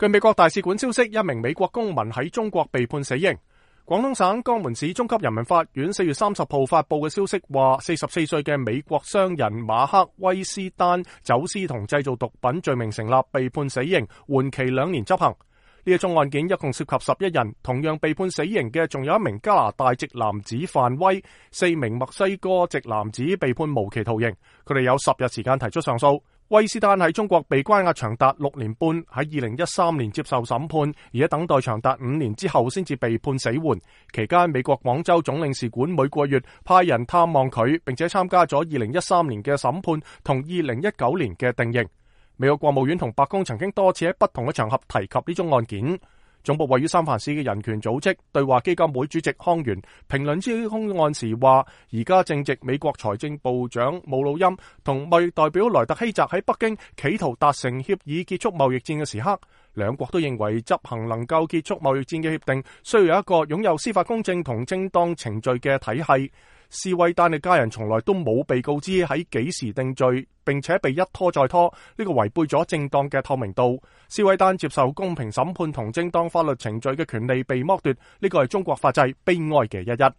據美國大使館消息，一名美國公民喺中國被判死刑。廣東省江門市中級人民法院4月30號發佈嘅消息話，44歲嘅美國商人馬克威斯丹走私同製造毒品罪名成立，被判死刑，緩期2年執行。呢一宗案件一共涉及11人，同樣被判死刑嘅仲有一名加拿大籍男子范威，4名墨西哥籍男子被判無期徒刑，佢哋有10日時間提出上訴。威斯丹喺中國被關押長達6年半，喺2013年接受審判，而喺等待長達5年之後先至被判死緩。期間，美國廣州總領事館每個月派人探望佢，並且參加咗2013年嘅審判同2019年嘅定刑。美國國務院同白宮曾經多次喺不同嘅場合提及呢宗案件。總部位於三藩市嘅人權組織對話基金會主席康源評論呢宗案時話，而家正值美國財政部長姆努欽同貿易代表萊特希澤喺北京企圖達成協議結束貿易戰嘅時刻，兩國都認為執行能夠結束貿易戰嘅協定需要有一個擁有司法公正同正當程序嘅體系。施威丹嘅家人從來都冇被告知喺幾時定罪，並且被一拖再拖，呢個違背咗正當嘅透明度。施威丹接受公平審判同正當法律程序嘅權利被剝奪，呢個係中國法制悲哀嘅一。